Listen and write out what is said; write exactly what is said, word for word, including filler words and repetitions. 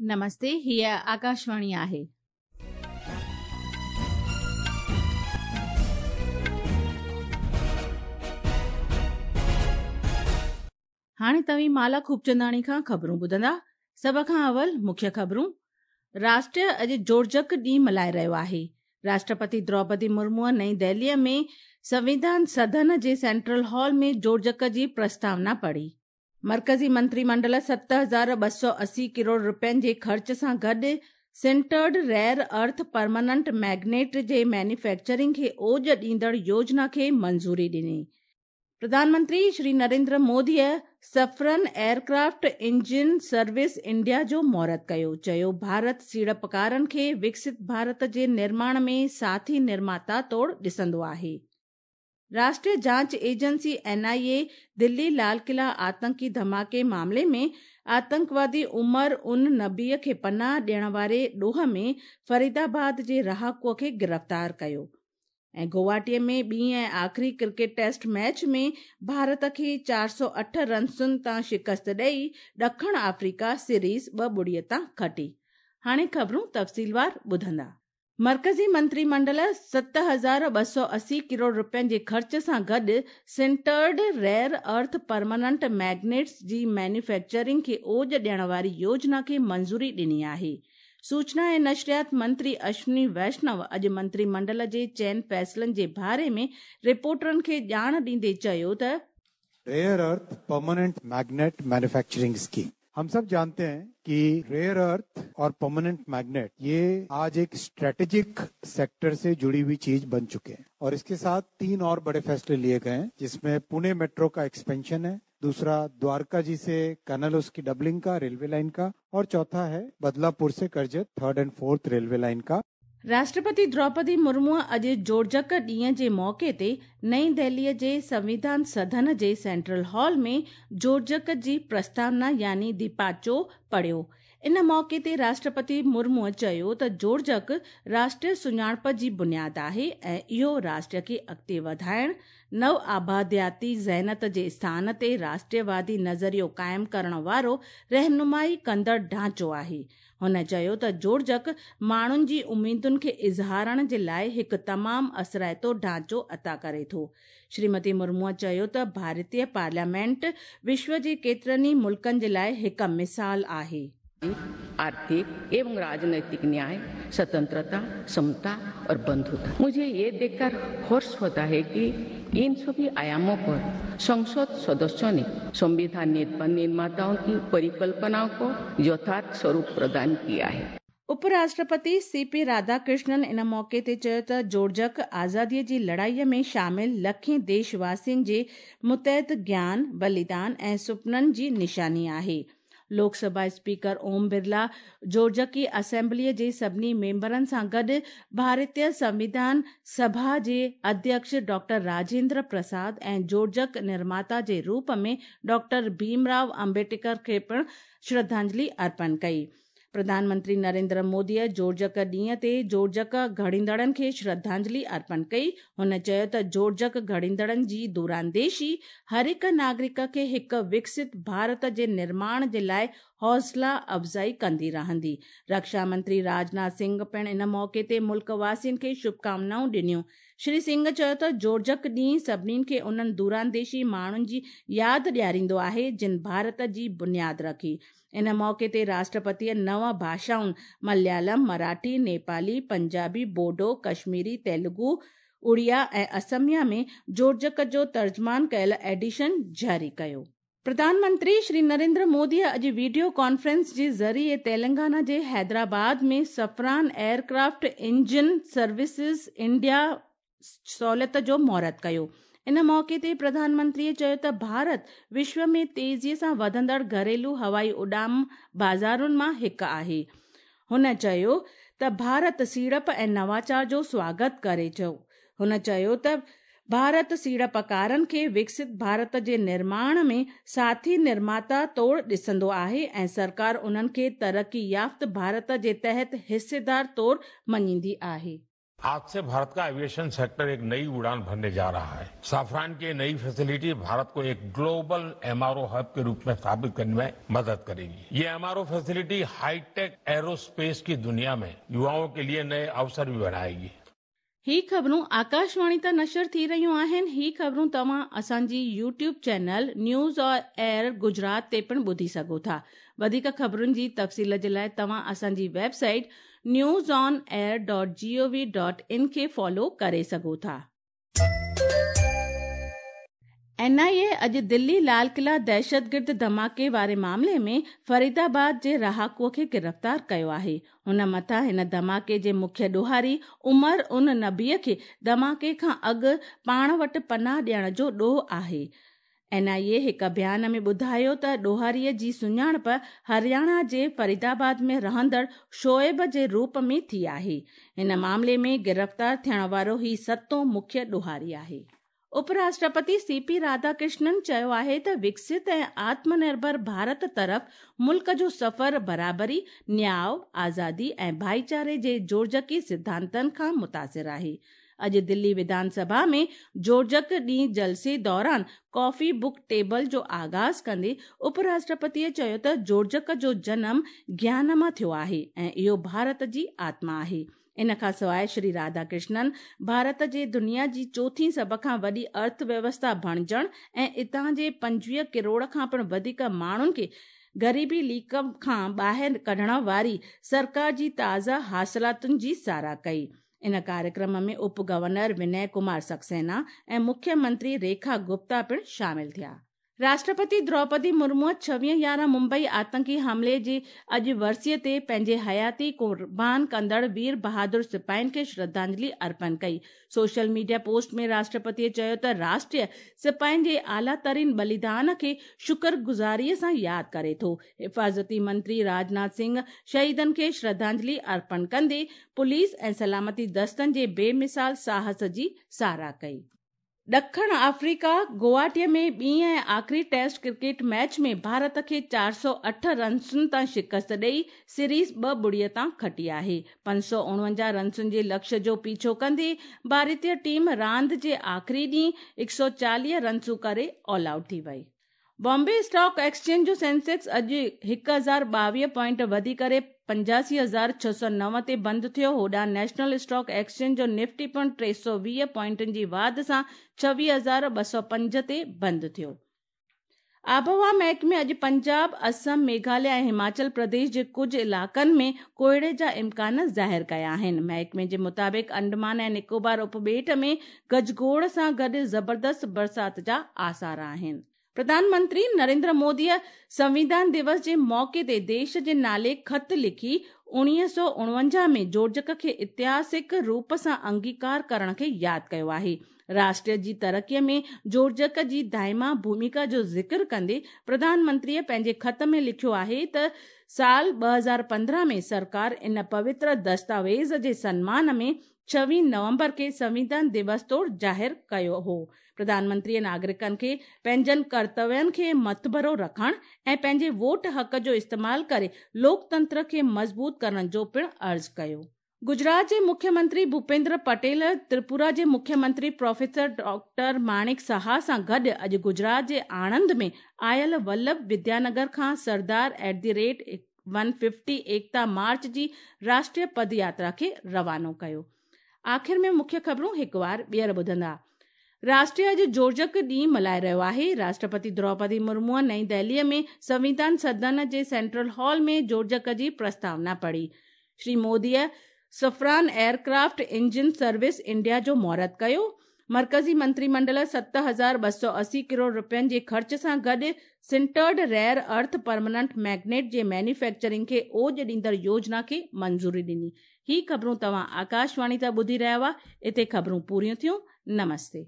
नमस्ते, हीअ आकाशवाणी आहे। हाणे तव्हीं माला खूबचंदाणी खां ख़बरूं ॿुधंदा। सभ खां अवल मुख्य ख़बरूं। राष्ट्र अॼु जोड़जक ॾींहुं मल्हाए रहियो आहे। राष्ट्रपति द्रौपदी मुर्मूअ नई दिल्लीअ में संविधान सदन जे सेंट्रल हॉल में जोड़जक जी प्रस्तावना पढ़ी। मर्कज़ी मंत्रिमंडल सत हज़ार ॿ सौ असी करोड़ रुपयनि जे ख़र्च सां गॾु sintered rare earth permanent magnet जे मैन्युफैक्चरिंग खे ओज ॾींदड़ योजना खे मंज़ूरी ॾिनी। प्रधानमंत्री श्री नरेंद्र मोदीअ Safran aircraft engine service India जो मुहूर्त कयो। चयो, भारत सीड़पकारनि खे विकसित भारत जे निर्माण में साथी निर्माता तौर ॾिसंदो आहे। राष्ट्रीय जांच एजेंसी एन आई ए दिल्ली लाल किला आतंकी धमाके मामले में आतंकवादी उमर उन नबीअ खे पनाह ॾियण वारे ॾोह में फरीदाबाद जे रहाकूअ खे गिरफ़्तार कयो। ऐं गुवाहाटीअ में ॿी ऐं आख़िरी क्रिकेट टेस्ट मैच में भारत खे चारि सौ अठ रनसुनि तां शिकस्त ॾेई ॾखण आफ्रीका सीरीज़ ॿ ॿुड़ीअ तां खटी। हाणे ख़बरूं तफ़सीलवार ॿुधंदा। मर्कज़ी मंत्रिमंडल सत हज़ार ॿ सौ असी करोड़ रुपयनि जे ख़र्च सां गॾु sintered rare earth permanent magnets जी मैन्युफैक्चरिंग खे ओज ॾियण वारी योजना खे मंज़ूरी ॾिनी आहे। सूचना ऐं नशरियात मंत्री अश्विनी वैष्णव अॼु मंत्रिमंडल जे चइनि फ़ैसिलनि जे बारे में रिपोर्टरनि खे ॼाण ॾींदे चयो त rare earth permanent magnet manufacturing scheme. हम सब जानते हैं कि रेयर अर्थ और परमानेंट मैग्नेट ये आज एक स्ट्रेटेजिक सेक्टर से जुड़ी हुई चीज बन चुके हैं और इसके साथ तीन और बड़े फैसले लिए गए हैं, जिसमें पुणे मेट्रो का एक्सपेंशन है, दूसरा द्वारका जी से कनल उसकी डबलिंग का रेलवे लाइन का, और चौथा है बदलापुर से Karjat third and fourth railway line का। राष्ट्रपति द्रौपदी मुर्मू अॼु जोड़जक ॾींहं जे मौक़े ते नई दिल्लीअ जे संविधान सदन जे सेंट्रल हॉल में जोड़जक जी प्रस्तावना यानी दीपाचो पढ़ियो। इन मौक़े ते राष्ट्रपति मुर्मूअ चयो त जोड़जक राष्ट्रीय सुञाणप जी बुनियाद आहे ऐं इहो राष्ट्र खे अॻिते वधाइण, नव आबादियाती ज़हनत जे स्थान ते राष्ट्रवादी नज़रियो क़ाइमु करण वारो रहनुमाई कंदड़ ढांचो आहे। हुन चयो त जोड़जक माण्हुनि जी उमेदुनि खे इज़हारण जे लाइ हिकु तमामु असराइतो ढांचो अता करे थो। श्रीमती मुर्मूअ चयो त भारतीय पार्लियामेंट विश्व जे केतिरनि ई मुल्कनि जे लाइ हिकु मिसाल आहे। आर्थिक एवं राजनैतिक न्याय, स्वतंत्रता, समता और बंधुता। मुझे ये देखकर हर्ष होता है कि इन सभी आयामों पर संसद सदस्यों ने संविधान निर्माताओं की परिकल्पनाओं को यथार्थ स्वरूप प्रदान किया है। उपराष्ट्रपति सी पी राधाकृष्णन इन मौक़े ते चयो त जोड़जक आज़ादीअ जी लड़ाईअ में शामिल लखें देशवासियुनि जे मुतहद ज्ञान, बलिदान ऐं सुपननि जी निशानी आहे। लोकसभा स्पीकर ओम बिरला जोड़जकी असेंबलीअ जे सभिनी मेंबरनि सां गॾु भारतीय संविधान सभा जे अध्यक्ष डॉक्टर राजेंद्र प्रसाद ऐं जोड़जक निर्माता जे रूप में डॉक्टर भीमराव अम्बेडकर खे पिणु श्रद्धांजलि अर्पण कई। प्रधानमंत्री नरेंद्र मोदीअ जोड़जक ॾींहं ते जोड़जक घड़ींदड़नि खे श्रद्धांजलि अर्पण कई। हुन चयो त जोड़जक घड़ींदड़नि जी दूरांदेशी हर हिकु नागरिक खे हिकु विकसित भारत जे निर्माण जे लाइ हौसला अफ़ज़ाई कंदी रहंदी। रक्षा मंत्री राजनाथ सिंह पिणु इन मौक़े ते मुल्क वासियुनि खे शुभकामनाऊं ॾिनियूं। श्री सिंह चयो त जोड़जक ॾींहुं सभिनीनि खे उन्हनि दूरांदेशी माण्हुनि जी यादि ॾियारींदो आहे जिन भारत जी बुनियाद रखी। इन मौक़े ते राष्ट्रपतीअ नव भाषाउनि मलयालम, मराठी, नेपाली, पंजाबी, बोडो, कश्मीरी, तेलुगु, उड़िया ऐं असमिया में जोड़जक जो तर्जमान कयल एडिशन जारी कयो। प्रधानमंत्री श्री नरेंद्र मोदीअ अॼु वीडियो कॉन्फ्रेंस जे ज़रिए तेलंगाना जे हैदराबाद में Safran aircraft engine services India सहूलियत जो मुहूर्त कयो। इन मौक़े ते प्रधानमंत्रीअ चयो त भारत विश्व में तेज़ीअ सां वधंदड़ घरेलू हवाई उॾाम बाज़ारुनि मां हिकु आहे। हुन चयो त भारत सीड़प ऐं नवाचार जो स्वागत करे थो। हुन चयो त भारत सीड़पकारनि खे विकसित भारत जे निर्माण में साथी निर्माता तौर ॾिसंदो आहे ऐं सरकार उन्हनि खे तरक़ी याफ़्त भारत जे तहत हिस्सेदार तौर मञींदी आहे। आज से भारत का एविएशन सेक्टर एक नई उड़ान भरने जा रहा है। साफरान की नई फैसिलिटी भारत को एक ग्लोबल एमआरओ हब के रूप में स्थापित करने में मदद करेगी। ये एमआरओ फैसिलिटी हाईटेक एरोस्पेस की दुनिया में युवाओं के लिए नए अवसर भी बनाएगी। ही ख़बरूं आकाशवाणी तां नशर थी रहियूं आहिनि। ही ख़बरूं तव्हां असांजी YouTube channel news on air Gujarat ते पिणु ॿुधी सघो था। वधीक ख़बरुनि जी तफ़सील जे लाइ तव्हां असांजी website news on air dot G O V dot in खे फॉलो करे सघो था। एन I ए अॼु दिल्ली लाल किला दहशतगिर्द धमाके वारे मामले में फरीदाबाद जे रहाकूअ खे गिरफ़्तार कयो आहे। हुन मथां हिन धमाके जे मुख्य ॾोहारी उमर उन नबीअ खे धमाके खां अॻु पाण वटि पनाह ॾियण जो ॾोह आहे। एन I ए हिकु बयान में ॿुधायो त ॾोहारीअ जी सुञाणप हरियाणा जे फरीदाबाद में रहंदड़ शोएब जे रूप में थी आहे। हिन मामले में गिरफ़्तार थियण वारो ही सतों मुख्य ॾोहारी आहे। उपराष्ट्रपति सी पी राधाकृष्णन चयो आहे त विकसित ऐं आत्मनिर्भर भारत तरफ़ मुल्क जो सफ़र बराबरी, न्याय, आज़ादी ऐं भाईचारे जे जोड़जकी सिद्धांतनि खां मुतासिर आहे। अॼु दिल्ली विधानसभा में जोड़जक ॾींहुं जलसे दौरान कॉफ़ी बुक टेबल जो आगाज़ कंदे उपराष्ट्रपतीअ चयो त जोड़जक जो जनम ज्ञान मां थियो आहे ऐं इहो भारत जी आत्मा आहे। इन खां सवाइ श्री राधाकृष्णन भारत जे दुनिया जी चोथी सभ खां वॾी अर्थव्यवस्था बणिजण ऐं इतां जे पंजवीह करोड़ खां पिणु वधीक माण्हुनि खे ग़रीबी लीक खां ॿाहिरि कढण वारी सरकार जी ताज़ा हासिलातुनि जी सराह कई। इन कार्यक्रम में उप गवर्नर विनय कुमार सक्सेना ऐं मुख्यमंत्री रेखा गुप्ता पिणु शामिल थिया। राष्ट्रपति द्रौपदी मुर्मू छवीह यारहं मुंबई आतंकी हमले जी अॼु वरसीअ ते पंहिंजी हयाती कुर्बान कंदड़ वीर बहादुर सिपाहियुनि खे श्रद्धांजलि अर्पण कई। सोशल मीडिया पोस्ट में राष्ट्रपतीअ चयो त राष्ट्रीय सिपाहियुनि जे आला तरीन बलिदान खे शुक्रगुज़ारीअ सां यादि करे थो। हिफाज़ती मंत्री राजनाथ सिंह शहीदनि खे श्रद्धांजलि अर्पण कंदे पुलिस ऐं सलामती दस्तनि जे बेमिसाल साहस जी सराह कई। ॾखण अफ्रीका गुवाहाटीअ में ॿी ऐं आख़िरी टेस्ट क्रिकेट मैच में भारत खे चारि सौ अठ रन्सुनि तां शिकस्त ॾेई सीरीज़ ॿ ॿुड़ीअ तां खटी आहे। पंज सौ उणवंजाह रन्सुनि जे लक्ष्य जो पीछो कंदे भारतीय टीम रांदि जे आख़िरी ॾींहुं हिकु सौ चालीह रन्सूं करे ऑल आउट थी वई। बॉम्बे स्टॉक एक्सचेंज जो सेंसेक्स अॼु हिकु हज़ार ॿावीह पॉइंट वधी करे पंजासी हज़ार छह सौ नव ते बंदि थियो। होॾां नेशनल स्टॉक एक्सचेंज जो निफ्टी पिणु टे सौ वीह पॉइंटनि जी वाध सां छवीह हज़ार ॿ सौ पंज ते बंदि थियो। आबहवा महकमे अॼु पंजाब, असम, मेघालय ऐं हिमाचल प्रदेश जे कुझु इलाइक़नि में कोहिड़े जा इम्कान ज़ाहिर कया आहिनि। महकमे जे मुताबिक़ अंडमान ऐं निकोबार उपॿेट में गजगोड़ सां गॾु ज़बरदस्त बरसात जा आसार आहिनि। प्रधानमंत्री नरेंद्र मोदीअ संविधान दिवस जे मौक़े ते देश जे नाले ख़त लिखी उणिवीह सौ उणवंजाह में जोड़जक खे ऐतिहासिक रूप सां अंगीकार करण खे यादि कयो आहे। राष्ट्र जी तरक़ीअ में जोड़जक जी दाइमा भूमिका जो ज़िक्र कंदे प्रधानमंत्रीअ पंहिंजे ख़त में लिखियो आहे त साल ॿ हज़ार पंद्रहं में सरकार इन पवित्र दस्तावेज़ जे सन्मान में छवीह नवंबर खे संविधान दिवस तौर ज़ाहिर कयो हो। प्रधानमंत्रीअ नागरिकनि खे पंहिंजनि कर्तव्यनि खे मथभरो रखण ऐं पंहिंजे वोट हक़ जो इस्तेमाल करे लोकतंत्र खे मज़बूत करण जो पिणु अर्ज़ु कयो। गुजरात जे मुख्यमंत्री भूपेंद्र पटेल त्रिपुरा जे मुख्यमंत्री प्रोफेसर डॉक्टर माणिक साहा सां गॾु अॼु गुजरात जे आणंद में आयल वल्लभ विद्यानगर खां Sardar at the rate one fifty Ekta march जी राष्ट्रीय पद यात्रा खे रवानो कयो। आख़िर में मुख्य ख़बरूं हिकु वार ॿीहर ॿुधंदा। राष्ट्रीय अॼु जोड़जक ॾींहुं मल्हाए रहियो आहे। राष्ट्रपति द्रौपदी मुर्मूअ नई दिल्लीअ में संविधान सदन जे सेंट्रल हॉल में जोड़जक जी प्रस्तावना पढ़ी। श्री मोदीअ Safran aircraft engine service India जो मुहूर्त कयो। मर्कज़ी मंत्रिमंडल सत हज़ार ॿ सौ असी करोड़ रुपयनि जे ख़र्च सां गॾु sintered rare earth permanent magnet जे मैन्युफैक्चरिंग खे ओज ॾींदड़ योजना खे मंज़ूरी ॾिनी। ही ख़बरूं तव्हां आकाशवाणी तां ॿुधी रहिया हुआ। हिते ख़बरूं पूरियूं थियूं। नमस्ते।